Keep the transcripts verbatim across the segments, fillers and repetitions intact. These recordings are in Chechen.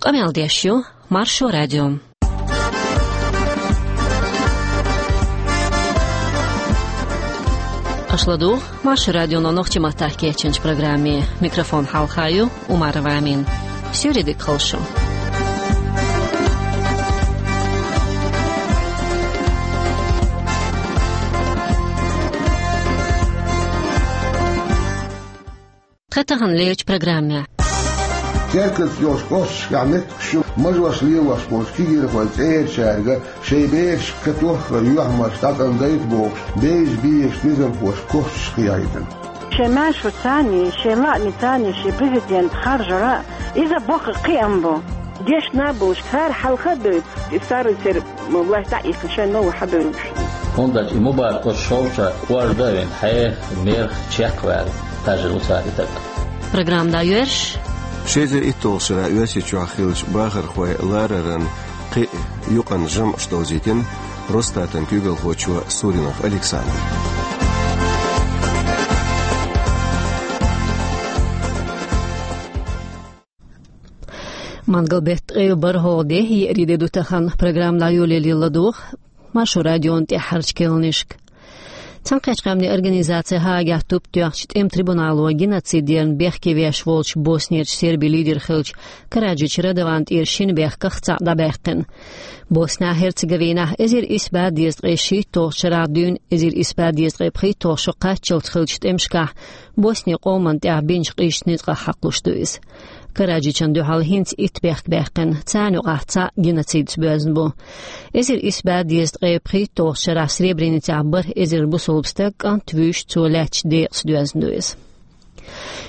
Къамел деш ю Маршо радио. Аша ладугӀу Маршо радионо нохчийн маттахь кечйинчу программе. Микрофон хьалха ю Умарова Амина. Суьйре дика хуьлда шун. Тхан тахана лерчу программехь. Теркаца йолчу кӀошташкахь меттигаш ю, мажош лелош болчу кегийрхойн цӀерачаьрга шайн бераш катоххара юьхьмарш дӀатӀам дайта бохуш, бевза безачу низамхоша косташ кхийхьийтина. Шайн маьршоца а, шайн лаамца а шен президент харжар, иза боккха кхиам бу. Дешна болуш цара хьалха а бевлла, и старый церан власть дӀа а ихкина, шайн новый хьабевлла. ХӀунда аьлча и Мубарак оцу шовча кӀорда а вина, хьеха, мерах чекх а ваьлла, тажийна ву цара и таг. Программа дӀайоьрзуш. Ши эзар итталгӀачу шарахь Оьрсийчохь хиллачу бахархойн лараран кхин а юкъанна жамӀаш довзийтина Росстатан куьйгалхочо Суринов Александра. Мангал беттан ткъе бархӀалгӀа де, еарин де ду тахана. Программа дӀайолале ладугӀу Маршо радион тӀаьххьарчу керланашка. Цхьаьнакхеттачу Къаьмнийн Организацин Гаагехь туп тоьхначу тӀеман трибунало геноцид ярна бехке веш волчу Боснерчу сербийн лидер хиллачу Караджич Радован тӀера шина бехках цхьаъ дӀабаьккхина. Босни-Герцеговинехь эзар исс бӀе дезткъе шийтталгӀачу шарахь дуьйна эзар исс бӀе дезткъе пхийтталгӀа шо кхаччалц хиллачу тӀемашкахь Боснин къоман тӀехь бинчу къизачу ницкъах хьакхалуш ду иза. Караджична дуьхьал хӀинца итт бехк баьккхина, царна юкъахь цхьаъ геноцидца боьзна бу. Эзар исс бӀе дезткъе пхийтталгӀачу шарахь Сребреницехь бархӀ эзар бусалба стаг, кӀант а, вуьйш а цо лаьттачу декъаца доьзна ду иза.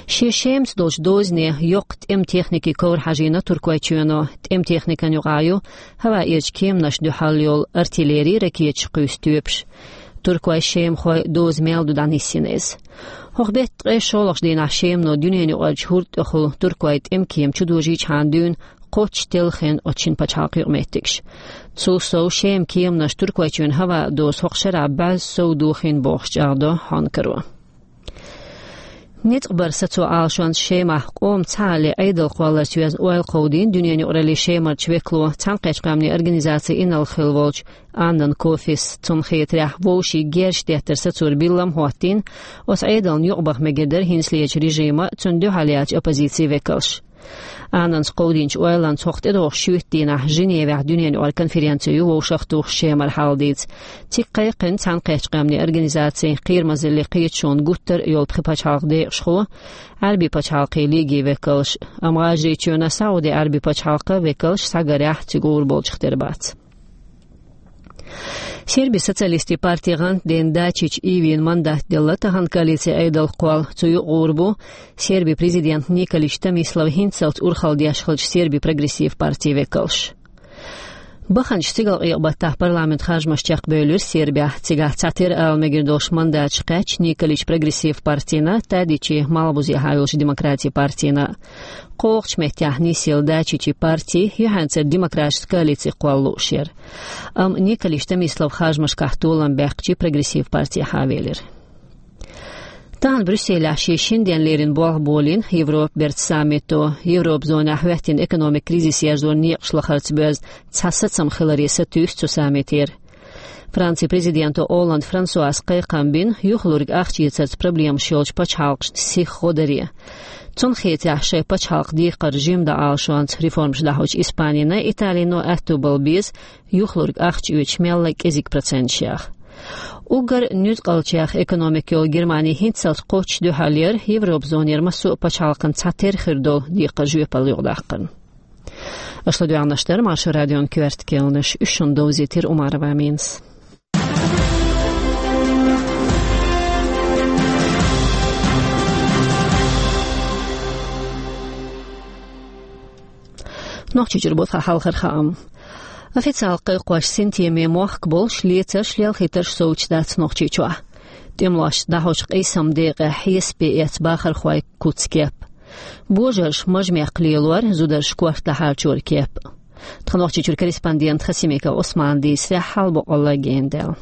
Шен Шемаца долчу дозане йоккха тӀеман техникин ковра хьажийна Туркойчоьно. ТӀеман техникан юкъахь ю хӀаваэрчу кеманашна дуьхьал йолу артиллери, ракеташ кхуьйсу тоьпаш. Туркойн, шемахойн доза мел ду дӀанисйина иза. ХӀокху беттан ткъе шолгӀачу дийнахь Шемано дуьненаюкъарчу хӀорда тӀехула туркойн тӀеман кема чудожийчхьана дуьйна кхоччуш телхина оцу шина пачхьалкхан юкъаметтигаш. Цул сов, Шеман кеманаш Туркойчоьнан хӀаваан доза хӀокху шарахь бӀозза сов дохийна бохуш чӀагӀдо хьанкаро. Ницкъ баран сацо Ӏалашонца Шемахь къоман цхьаалле Ӏедал кхолларца йоьзна ойла кховдийна дуьненаюкъараллин Шемарчу векало, Цхьаьнакхеттачу Къаьмнийн Организацин инарла хилла волчу Аннан Кофис. Цунна хетарехь, вовшийн герзаш деттар сацор биллам а хӀоттийна, оцу Ӏедална юкъабаха мегар дара хӀинцалерчу режиман а, цунна дуьхьал яьллачу оппозицин векалш. Аннанс кховдийначу ойланца хӀокху тӀедогӀучу шоьтан дийнахь Женевехь дуьненаюкъара конференци ю вовшахтухуш Шемара хьал дийца. Цига кхайкхина Цхьаьнакхеттачу Къаьмнийн Организацин, Кхерамазаллин Кхеташонан гуттар а йолу пхи пачхьалкхан декъашхо, Ӏаьрбийн пачхьалкхийн Лигин векалш. Амма ГӀажарийчоьнан, Сауди Ӏаьрбийн пачхьалкхан векалш схьагарехь, цига гӀур болчух тера бац. Сербийн социалистийн партин гӀантден Дачич Ивина мандат делла тахана коалицин Ӏедал кхолла. Цу юкъа гӀур бу Сербин президент Николич Томислав, хӀинццалц урхалла деш хиллачу Сербийн прогрессив партин векалш. Баханчу стигалкъекъа-баттахь парламентан харжамаш чекхбевлира Сербехь. Цигахь цхьатера ала мегар долуш мандаташ кхаьчна Николичан прогрессив партина, Тадичин, малхбузехьа йолчу демократийн партина. КхоалгӀачу меттехь нисъелла Дачичин парти юьхьанцара демократийн коалици кхолла лууш яра. Амма Николич Томислав харжамашкахь толам баьккхича, прогрессив партехьа велира. Тахана Брюсселехь шен шина денна леррина болх болийна Европан бертан саммито. Европан зонехь хӀоьттина экономикан кризис ерзоран некъаш лахарца боьзна цхьа сацам хиларе сатуьйсу цу саммитера. Францин президенто Олланд Франсуас кхайкхам бина юхалург ахча эцарца проблемаш йолчу пачхьалкхашна сиха гӀо даре. Цунна хетарехь, шайн пачхьалкхан декхар жима дан Ӏалашонца реформаш дӀахьочу Испанина, Италино аьтто бала беза юхалург ахча оьцуш мелла а кӀезиг проценташ яха. Уггар нуьцкъалчех экономика йолу Германи хӀинццалц кхоччуш дуьхьал яра Европан зонера массо а пачхьалкхан цхьатера хир долу декхар жоьпалла юкъадаккхарна. Аша ладоьгӀнарш дара Маршо радион коьрта керланаш, уьш шуна довзийтира Умарова Аминас. Нохчийчуьра бу тхан хьалхара хаам. Официалан кхайкхош, синтеме мохк болуш, лецарш, лелхийтарш совцуш дац Нохчийчохь. ТӀемалошца дӀахьочу къийсаман декъехь хьесапе эцна бахархойн куц-кеп. Божарша мажа-мехкан лелор, зударша корта дӀахьарчора кеп. Тхан Нохчийчуьра корреспондента Хасимиков Ӏусмана дийцарехь, хьал боккъалла гена даьлла.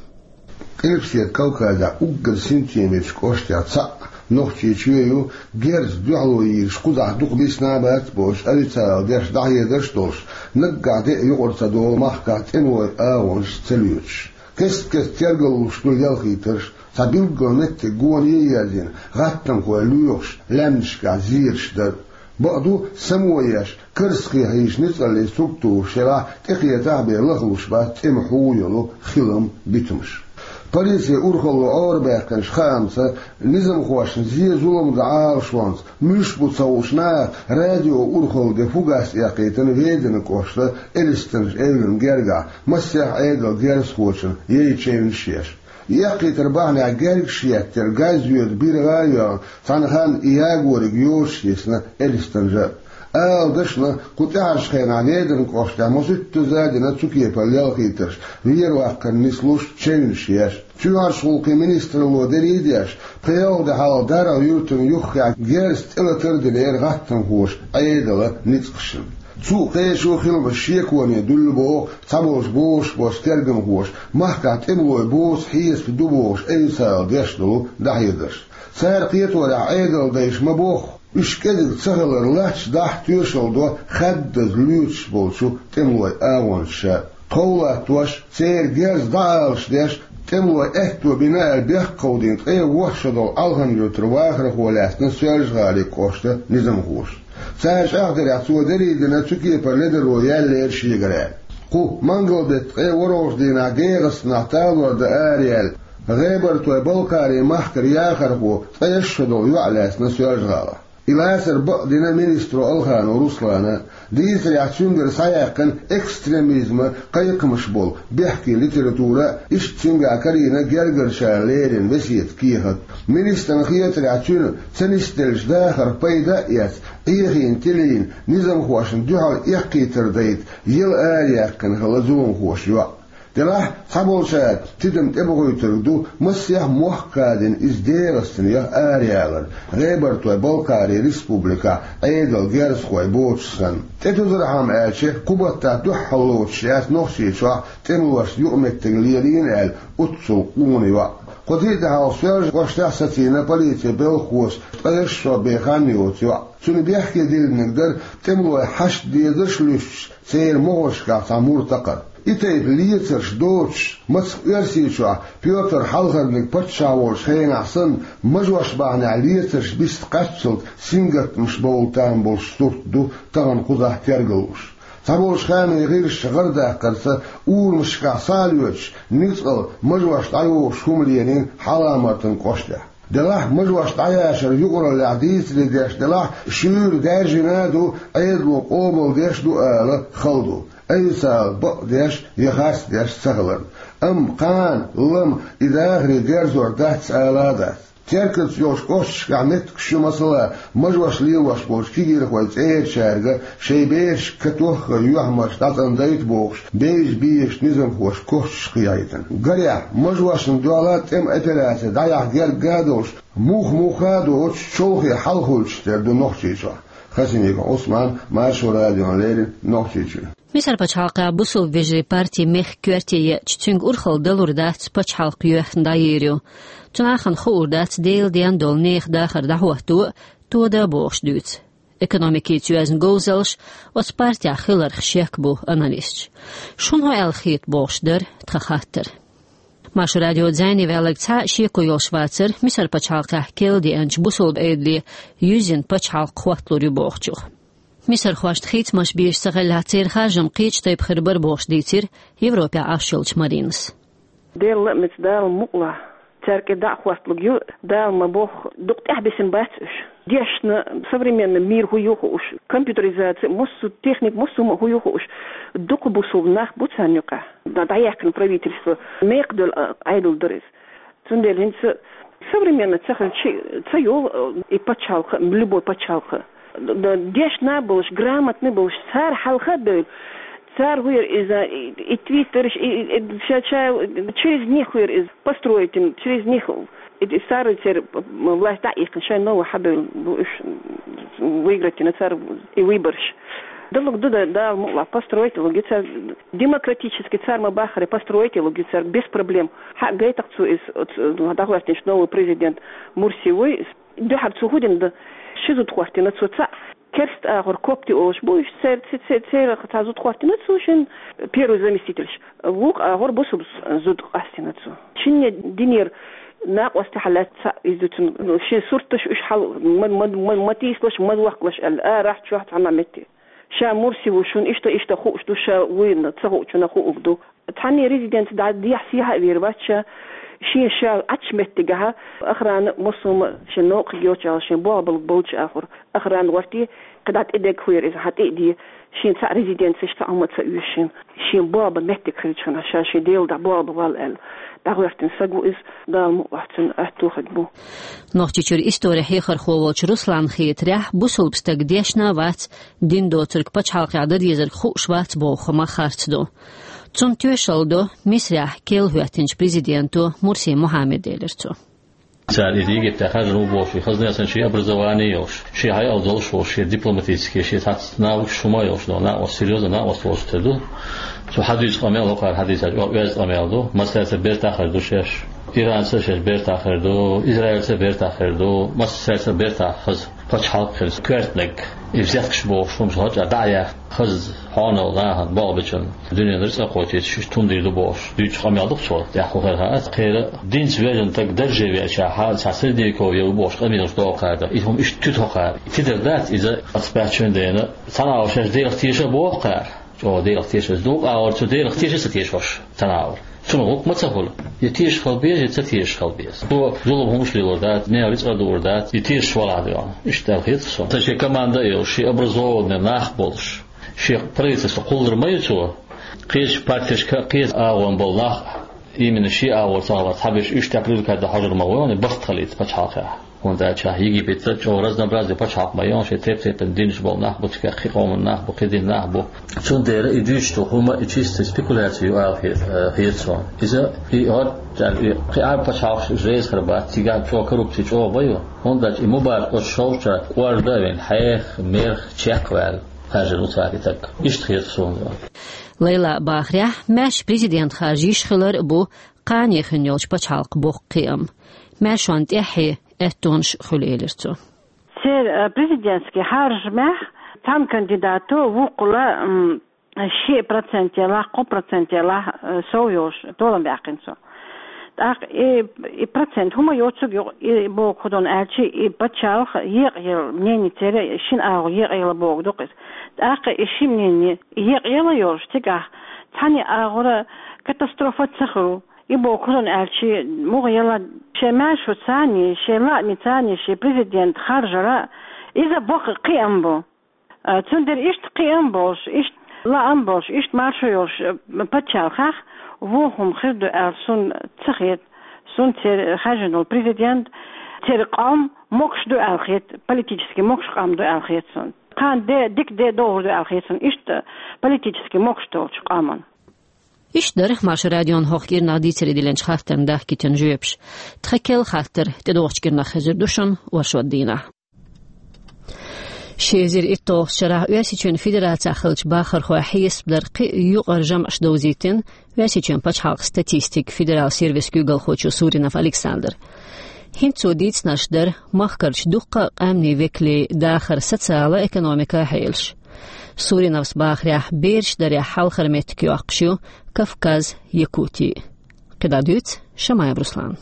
Къилбаседа Кавказехь уггар синтемечу кӀоштех цхьаъ Нохчийчоь ю герз дуьхьало йийраш кхузахь дукха бийсина а бац бохуш, официалан деш дӀахьедарш а долуш, наггахь де а юкъара ца долу махкахь тӀемалойн агӀонаш ца лоьцуш. Кест-кеста тергаллуш ду ялхийтарш, цхьа билггал меттиг гоне а ерзийна, гӀаттамхой лоьхуш, лаьмнашкахь зераш дар. Бакъду, само еш, карзахе хьийзаш ницкъаллин структураш шарахь тӀекхетахь а бен лахлуш бац тӀеман хьу йолу хилам, битамаш. Полицин урхалло Ӏорабаьккхинчу хаамца, низамхошна зен-зулам дан Ӏалашонца муьлш бу ца хууш наха радион урхалла де фугас эккхийтина Веданан кӀоштан Элистанаш эвлана гергахь массех а Ӏедалан герзахочун яйчевнаш еш. И эккхийтар бахьанехь гергаш еттара газ йоьду биргӀа а йоьгӀна, цхьана ханна и ягориг йоцуш йисна Элистанажа. Ала дашна, кху тӀаьхьарчу хенахь Веданан кӀоштехь маситтаза а дина цу кепара ялхийтарш, вер-ваккхар нислуш, чевнаш еш. Чоьхьарчу гӀуллакхийн министралло дерриг а деш, пхи-ялх де хьалха ДаргӀа-Юьртана юххехь герз тӀелатар а динера гӀаттамхоша Ӏедалан ницкъашна. Цу а кхечу а хиламаш шеконе дуьллу боху цхьаболчу бозуш болчу тергамхоша, махкахь тӀемалой боцу хьесап ду бохуш, официалан деш долу дӀахьедарш. Цара кхеторехь, Ӏедалан дайша ма-бохху, уьш кӀезиг ца хилар лач дахь тоьшалла до хаддаза лоьцуш болчу тӀемалойн агӀончаша. Тхов латтош, церан герз дӀаалаш деш, тӀемалойн аьтто бина аьлла бехк кховдийна ткъе ворхӀ шо долу Алхан-Юьртара вахархо лаьцна Соьлжа-ГӀалин кӀоштан низамхоша. Цара чӀагӀдарехь, цо дерриг а дина цу кепара ледаро яьллера шегара аьлла. Кху мангал-беттан ткъе ворхӀалгӀачу дийнахь ДегӀастанахь талор дан араяьлла, ГӀебартойн-Балкхарин махкара яхархо ткъе шо долу йоӀ лаьцна Соьлжа-ГӀалахь. И лацар бакъдина министро Алханов Руслана. Дийцарехь, цуьнгара схьаяьккхина экстремизман кхайкхамаш болу бехке литература а, иштта цуьнгахь карийна гергарчара леррина весетан кехат а. Министрна хетарехь, цуьнан ца нисделлачу дахарх пайда а эцна, Ӏехийна тилийна, низамхошна дуьхьал эккхийтар дайта яла араяьккхина хилла зуламхоша йоӀ. Делахь, цхьаболчара тидам тӀебохуьйтург ду, массех а мохк кадина иза ДегӀастанех араяьлларг, ГӀебартойн-Балкхарин республикехь Ӏедалан герзахой боцуш санна. ТӀетузархьама аьлча, кху баттахь дуьххьарлоцуш яц Нохчийчохь тӀемалошна юкъаметтиг лелийна аьлла оццул къона йоӀ. Кху тӀе а тӀаьхьа Соьлжа кӀоштахь сацийна полицин белхахоша ткъе шо бен хан йоцу йоӀ. Цуьнан бехке диллинарг дара тӀемалойн хьашт дезарш а луьстуш, церан могӀаршкахь цхьа мур такхар. И тайпа лецарш доцуш, мацах Оьрсийчохь Пётр Хьалхарниг паччахь волчу хенахь санна, мажош бахьанехь лецарш биста кхаччалц сингаттамаш бовла там болуш сурт ду тахана кхузахь тергаллуш. Цхьаболчу хаамийн гӀирсаша гӀарадаккхарца, урамашкахь схьа а лоьцуш, ницкъала мажош дӀайогӀуш хӀума лелийна Хьалха-Мартан кӀоштехь. Делахь, мажош дӀаяшар юкъараллехь дийцаре деш делахь, шуьйра даьржина а ду, Ӏедало къобалдеш а ду ала хала ду, официалан бакъдеш я харцдеш ца хиларна. Амма кхана, лама, и дахаре герзор дац ала а дац. Теркаца йолчу кӀошташкахь меттигаш ю, масала, мажош лелош болчу кегийрхойн цӀерачаьрга шайн берашка катоххара юьхьмарш дӀацӀандайта бохуш, бевза безачу низамхоша кошчаш кхехьийтина. Гарехь, мажошна дуьхьал тӀеман операци дӀаяхьа герга а долуш, мух-муха а доцуш, чолхе хьалхавуьйтуш тера ду Нохчийчохь. Хасимиков Ӏусман, Маршо радиона леррина, Нохчийчуьра. Мисар пачхьалкхехь бусулба вежарийн парти мехкан коьрте еъча, цуьнга урхалла далур дац пачхьалкх йоьхна дӀайийр ю. Цу нахана хуур дац Делан денна долу нехан дахар дӀахӀотто а, тода а бохуш дуьйцу. Экономикица йоьзна говзаллаш, оцу партехь хиларх шек бу аналисташ. Шуна хӀун аьлла хета бохуш дара тхан хаттар. Маршо радион зӀене ваьлларг цхьа а шеко йолуш вацара Мисар пачхьалкхехь керла деанчу бусулба Ӏедале юьззина пачхьалкх хӀотталур ю бохучух. Мисархошна хийцамаш безаш ца хиллехь, церан харжам кхечу тайпа хир бара бохуш дийцира Европехь Ӏаш йолчу Маринас. Делан лаамца, Дала мукъалахь, цаьрга дӀа а хӀотталург ю, Дала ма-бохху, дукха тӀаьхьабисина бац уьш. Дешна, современный мир хӀун ю хууш, компьютеризация, массо а техника, массо а хӀун ю хууш, дукха бусулба нах бу царна юкъахь. ДӀа-, дӀаяьккхина правительство, мекхадолу, а, Ӏедал дара иза. Цундела хӀинца современно ца хилча ца йолу, э, и пачхьалкх, любой пачхьалкх. Д-, д-, дешна болуш, грамотный болуш, цара хьалха а бевлла, цара хӀун яра иза, и, и твиттерш, и, и, и ша-, ша-, через них хӀун яра иза построить, через них, и, и цара церан власть дӀа а иккхина, шайн новый хьабевлла бу уьш, выиграть йина цара и выбораш. Далург ду, да, Дала мукъалахь, построить лург ю цара, демократически цара ма-баххара построить лург ю цара, без проблем. Хьа гайтах цо иза, оцу, дӀахӀоьттинчу новый президент Мурси вуй иза. Дуьххьара цо хӀу дина да? Ши зуда хӀоттийна цо. Цхьаъ керста агӀор копты олуш бу, уьш цер-, ц-, ц-, церан цхьа зуда хӀоттийна цо, шен первый заместительш. Вукху агӀор бусулба зуда къастийна цо. Шинне динера накъостий хьалаьцна цхьаъ иза ду цунна, ну, шен сурташ уьш хьал ма, ма, ма, ма тийсалаш, ма воккхалаш аьлла, арахь чохь цхьана метте. Ша Мурси ву, шуна иштта, иштта хууш ду, ша вуйна ца хуучунна хуург ду. Цхьанне резиденци дӀа дехьа-сехьа а вер вац ша, шен ша Ӏачу меттигахьа, охрана а, массо а шен новкъа йоцуш, шен болх бала болчу агӀор, охрана гӀорте, кхидӀа тӀедега хӀуьйра иза, хьан тӀе а де, шен цхьаъ резиденцеш цхьа хӀума ца оьшу шен. Шен болх бан меттиг хилчахьана, ша шен Делан тӀехь болх бан вала аьлла, дӀагӀоьртина саг ву иза, Дала мукъ лахь цунна, аьтту хиг бу. Нохчийчуьра истори хьехархо волчу Русланна хетарехь, бусулба стаг дешна а вац, дин доцург пачхьалкхехь дан дезарг хууш вац боху хӀума харц ду. Цунна тоьшалла до Мисрехь керла хӀоьттинчу президенто Мурси Мухьаммада, элира цо. Цара иза Египтехь хаьржина ву бохуш, и хазна а санна, шен образование а йолуш, шен хьайалла долуш волуш, шен дипломатический, шен цхьацца навыкаш хӀума а йолуш, но накъост, серьёзно накъост волуш тера ду. Цо хьадуьйцу къамел, хӀокхара хьадийцачу оьзда къамел ду, массаьрца бертахь хир ду шаьш. Иранца шаьш бертахь хир ду, Израильца бертахь хир ду, массаьрца бертахь хаза пачхьалкх хир, коьртаниг, и взяткаш бохуш хӀумаш гӀо чӀа дӀа а яьхна, хаза хьонал нахана болх бечунна дуьненара цӀа кхочуьйтуш, иштта хӀума дийр ду бохуш, дуьйцучу къамел ду-кх цо, тӀехь хӀу хир хаьа. Кхера динца вежарг стаг дарже веачахьа, цхьа средневековье ву бохуш къамелаш догӀу кхара, и хӀума иштта туьту хӀокхара. Тидар дац иза, ацбаьхчун дена, цхьана агӀор шаьш Делах теша а боху кхара. ЧӀогӀа Делах тешаза ду, агӀор цу Делах тешаза ца тешош, цхьана агӀор. Цунах гӀуллакх ма ца хуьлу. Я тешаш хила беза, я ца тешаш хила беза. Цо зулам хӀумаш лелор дац, мел рицкъа а дуур дац, и тешаш валахь а доьгӀна. Иштта аьлла хета суна. Сан шен команда а йолуш, шен образованный нах а болуш, шен правительство кхуллур ма ю цо. Кхечу партешка, кхечу агӀон болу нах а, именно шен агӀор ца хилар, цхьаберш уьш тӀе привлекать дан хьожур ма ву, барт хилийта пачхьалкхехь. ХӀунда аьлча Египетца чӀогӀа разнообразный пачхьалкх ма ю, шен тайп-тайпана динаш болу нах бу, цигахь кхин къоман нах бу, кхин дин нах бу. Цундела и дуьйцуш долу хӀума, и чисто спекуляция ю ала хе-, э, хета суна. Иза, и хӀоттаьлла, и кхин Ӏарб пачхьалкхаш жайза хир бац, цигахь чӀогӀа коррупция чӀогӀа ма ю. ХӀунда аьлча и мубарак оцу шовча кӀорда а вина, хьеха, мерх чекхваьлла, хаьржина ву цара и стаг. Иштта хета суна. Лайлан бахарехь, маьрша президент харжа йиш хилар а бу кхане хин йолчу пачхьалкхан боккха кхиам. Маьршонна тӀаьххье аьттонаш а хуьлу, элира цо. Церан, э, президентский хьаржамехь цхьана кандидато вукхула, м, ши процент ялахь, кхо процент ялахь, э, сов йолуш, толам баьккхина цо. ТӀаккха и, и процент хӀума йоцург ю, и боху хӀун ду аьлча, и пачхьалкх екъаелла, мнение церан шина агӀор екъаелла бохург ду-кх иза. ТӀаккха и ши мнение екъаелла йолуш, цигахь цхьана агӀора катастрофа ца хуьлу. И боху хӀун ду аьлча, муха яла шайн маьршо царний, шайн лаамий царний шен президент харжара, иза боккха кхиам бу. А, цундела иштта кхиам болуш, иштта лаам болуш, иштта маршо йолуш, а, пачхьалкхехь вон хӀума хир ду аьлла суна ца хета. Суна церан хаьржина волу президент, церан къам могуш ду аьлла хета, политически могуш къам ду аьлла хета суна. Кхана де, дика де догӀур ду аьлла хета суна, иштта политически могуш долчу къаман. Иштта дара Маршо радион хӀокху кӀирнах дийцаре диллинчу хаттарна дахкийтина жоьпаш. Тхан керла хаттар тӀедогӀучу кӀирнах хезар ду шуна оршот дийнахь. Ши эзар итталгӀачу шарахь Оьрсийчоьнан Федерацехь хиллачу бахархойн хьесап дара кхин а юкъара жамӀаш довзийтина Оьрсийчоьнан пачхьалкхан статистикан федералан сервисан куьйгалхочо Суринов Александра. ХӀинца цо дийцинарш дара махкарчу дуккха а къаьмнийн векалийн дахар социалан а, экономикан а хьелаш. Суриновс бахарехь, бераш дарехь хьалхара меттиг йоккхуш ю Кавказ, Якути. КхидӀа дуьйцу Шамаев Руслана.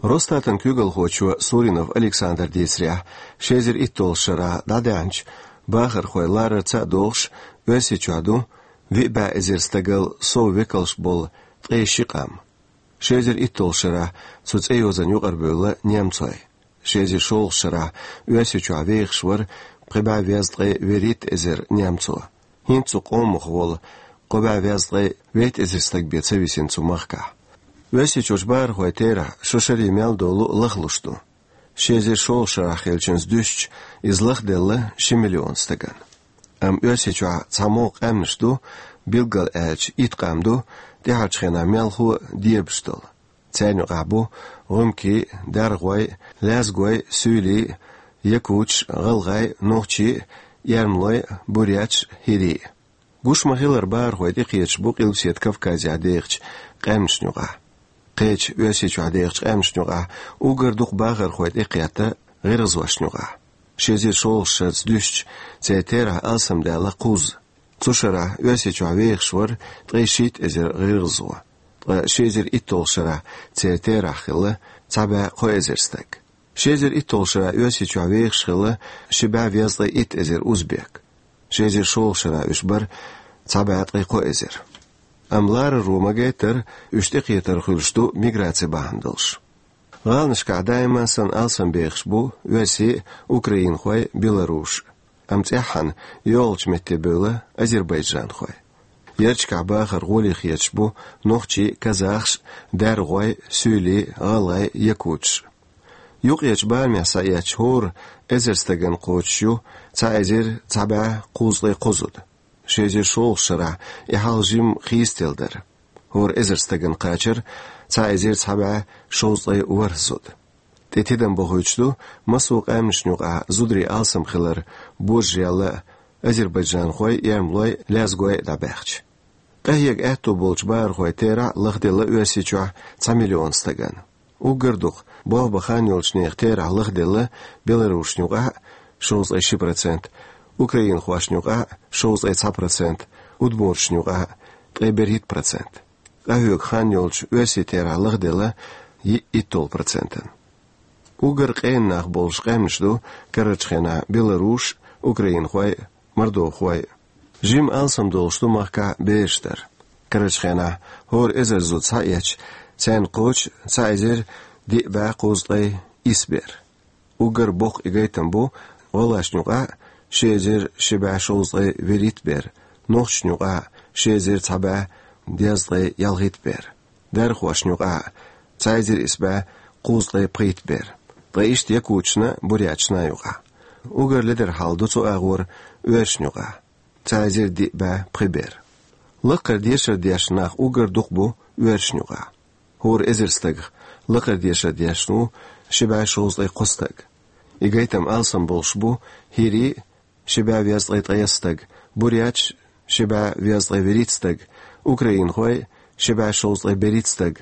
Росстатан куьйгалхочо Суринов Александра дийцарехь, ши эзар итталгӀачу шарахь дӀадаьхьначу бахархойн ларарца а догӀуш, Оьрсийчохь ду виъ бӀе эзар стагал сов векалш болу ткъе ши къам. Ши эзар итталгӀачу шарахь цу цӀейозанна юкъарабевлла немцой. Ши эзар шолгӀачу шарахь Оьрсийчохь вехаш вара пхи бӀе везткъе вуьрхӀитта эзар немцо. ХӀинца цу къомах волу кхо бӀе везткъе вейтта эзар стаг бен ца висина цу махкахь. Оьрсийчуьрчу бахархойн терахь шо шаре мел долу лахлуш ду. Ши эзар шолгӀачу шарахь хиллачуьнца дуьстича, иза лахделла ши миллион стагана. Амма Оьрсийчохь цхьа могӀа къаьмнаш ду, билггал аьлча, итт къам ду, тӀаьхьарчу хенахь мелхо а, дебаш долу. Царна юкъахь бу гӀумкий, даргой, лаьзгой, суьйлий, якуташ, гӀалгӀай, нохчий, эрмалой, буряташ, хӀирий. Гуш ма-хиллара, бахархой тӀекхеташ бу Къилбаседа Кавказехь дехачу къаьмнашна юкъахь. Кхечу Оьрсийчохь дехачу къаьмнашна юкъахь уггар дукха бахархой тӀекхетта гӀиргӀазошна юкъахь. Ши эзар шолгӀачу шарца дуьстича, церан терахь алсамдаьлла кхузза. Цу шарахь Оьрсийчохь вехаш вара ткъе шийтта эзар гӀиргӀазо, ткъа ши эзар итталгӀачу шарахь церан терахь хилла цхьа бӀе кхо эзар стаг. Ши эзар итталгӀачу шарахь Оьрсийчохь вехаш хилла ши бӀе везткъе итт эзар узбек. Ши эзар шолгӀачу шарахь уьш бара цхьа бӀе ткъе кхо эзар. Амма лараро ма-гайттара, уьш тӀекхетар хуьлуш ду миграци бахьана долуш. ГӀаланашкахь даима санна алсам бехаш бу оьрсий а, украинхой а, белорусаш а. Амма цӀеххьана йогӀучу метте бевлла азербайджанхой. Ярташкахь бахар гӀоле хеташ бу нохчий а, казахаш а, даргӀой а, суьйлий а, гӀалгӀай а, якуташ а. Юккъерчу барамехь схьаэцча, хӀора эзар стагана кхочуш ю цхьа эзар цхьа бӀе кхузткъе кхо зуда. Ши эзар шолгӀачу шарахь и хьал жимма хийцаделла дара. ХӀора эзар стагана кхачара цхьа эзар цхьа бӀе шовзткъе ворхӀ зуда. ТӀе тидам бохуьйтуш ду массо а къаьмнашна юкъахь зударий алсам хилар, божарелла а, азербайджанхой а, эрмалой а, лезгой а дӀабаьхча. Къахьега аьтто болчу бахархойн терахь лахделла Оьрсийчохь цхьа миллион стагана. Уггар дукха болх бан хан йолчу нехан терахь лахделла белорусашна юкъахь а, шовзткъе ши процент, украинхошна юкъахь а, шовзткъе цхьа процент, удмурташна юкъахь а, ткъе берхӀитта процент. Къахьоьгу хан йолчу оьрсийн терахь лахделла йиъ итталгӀа процентана. Уггар къена нах болуш къаьмнаш ду карарчу хенахь белорусаш а, украинхой а, мордовхой а. Жимма алсам долуш ду махкахь бераш дар. Карарчу хенахь хӀора эзар зуда схьаэцча, царна кхочу цхьа эзар диъ бӀе кхузткъе исс бер. Уггар боккха и гайтам бу гӀалгӀашна юкъахь а, ши эзар ши бӀе шовзткъе вуьрхӀитта бер, нохчашна юкъахь а, ши эзар цхьа бӀе дезткъе ялхитта бер, дархошна юкъахь а, цхьа эзар исс бӀе кхузткъе пхийтта бер, ткъа иштта якуташна а, буряташна а юкъахь. Уггар ледара хьал ду цу агӀор оьрсашна юкъахь, цхьа эзар диъ бӀе пхи бер. Лакхара дешар деш нах уггар дукха бу оьрсашна юкъахь. ХӀора эзар стагах лакхара дешар деш ву ши бӀе шовзткъе кхо стаг. И гайтам алсам болуш бу хӀирий а, ши бӀе везткъе ткъайесна стаг, буряташ а, ши бӀе везткъе вуьрхӀитта стаг, украинхой а, ши бӀе шовзткъе берхӀитта стаг,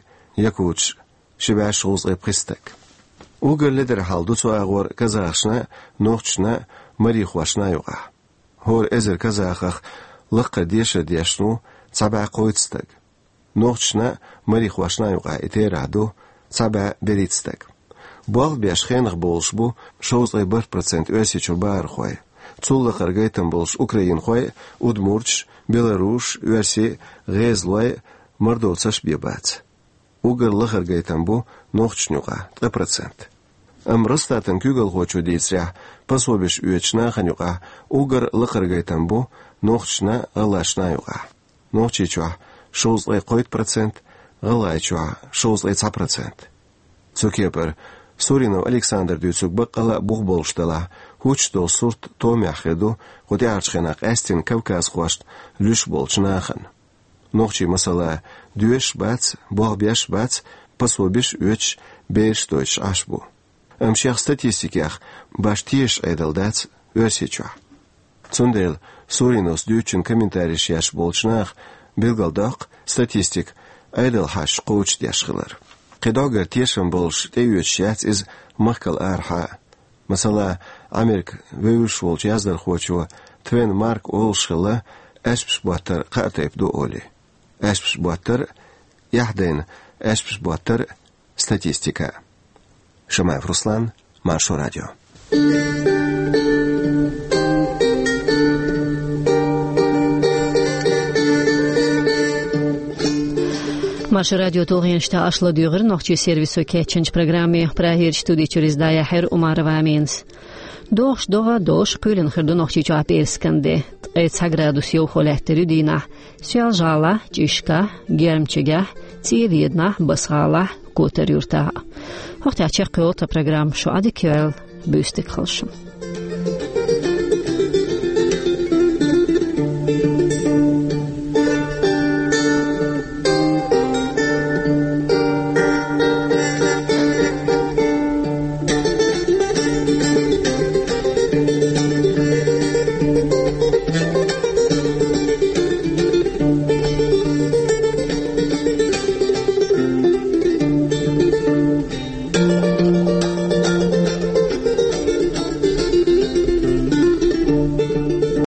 якуташ а, ши бӀе шовзткъе пхи стаг. Уггар ледара хьал ду цу агӀор казахашна а, нохчашна а, марихошна а юкъахь. ХӀора эзар казахах лакхара дешар деш ву цхьа бӀе кхойтта стаг. Нохчашна а, марихошна а юкъахь и терахь ду цхьа бӀе берхӀитта стаг. Болх беш хенах болуш бу шовзткъе бархӀ процент Оьрсийчуьра бахархой. Цул лакхара гайтам болуш украинхой а, удмурташ а, белорусаш а, оьрсий а, гӀезалой а, мордовцаш а бен бац. Уггар лахара гайтам бу нохчашна юкъахь, ткъа процент. Амма Росстатан куьйгалхочо дийцарехь, пособиш оьцучу нахана юкъахь уггар лакхара гайтам бу нохчашна а, гӀалгӀашна а юкъахь. Нохчийчохь шовзткъе кхойтта процент, ГӀалгӀайчохь шовзткъе цхьа процент. Цу кепара Суринов Александра дуьйцург баккъала а бух болуш делахь, хӀуттуш долу сурт томехь хир ду кху тӀаьхьарчу хенахь къаьстина кавказхошна луьйш болчу нахана. Нохчий, масала, доьшуш бац, болх беш бац, пособиш оьцуш, бераш дойтуш Ӏаш бу. Амма шех статистикех башха тешаш Ӏедал дац Оьрсийчохь. Цундела Суриновс дуьйцучун комментареш еш болчу наха билгалдоккху статистика Ӏедал хьашташ кхочушдеш хилар. Кхин доггара тешам болуш тӀеоьцуш яц иза махкал арахьа а. Масала, Ӏамерка вевзаш волчу яздархочо Твен Марк олуш хилла, аьшпаш боттар кхаа тайпа ду олий. Аьшпаш боттар а, эхь дайна аьшпаш боттар а, статистика а. Шамаев Руслан, Маршо Радио. Маршо Радио тулгӀенаш тӀехь аша ладуьйгӀира нохчийн сервисо кечйинчу программе. Прагерчу студи чуьра иза дӀаяьхьира Умарова Аминас. ДогӀуш догӀа долуш кхоьлина хир ду Нохчийчохь пӀераскан де. Ткъе цхьа градус йовхо лаьттар ю дийнахь Соьлжа-ГӀалахь, ЧӀишкахь, Гермчигехь, ЦӀе-Веданахь, Басса-ГӀалахь, Котар-Юьртахь. ХӀокху тӀехь чекхйолу тхан программа. Шу Ӏа дика йойла, буьйса дика хуьлда шун.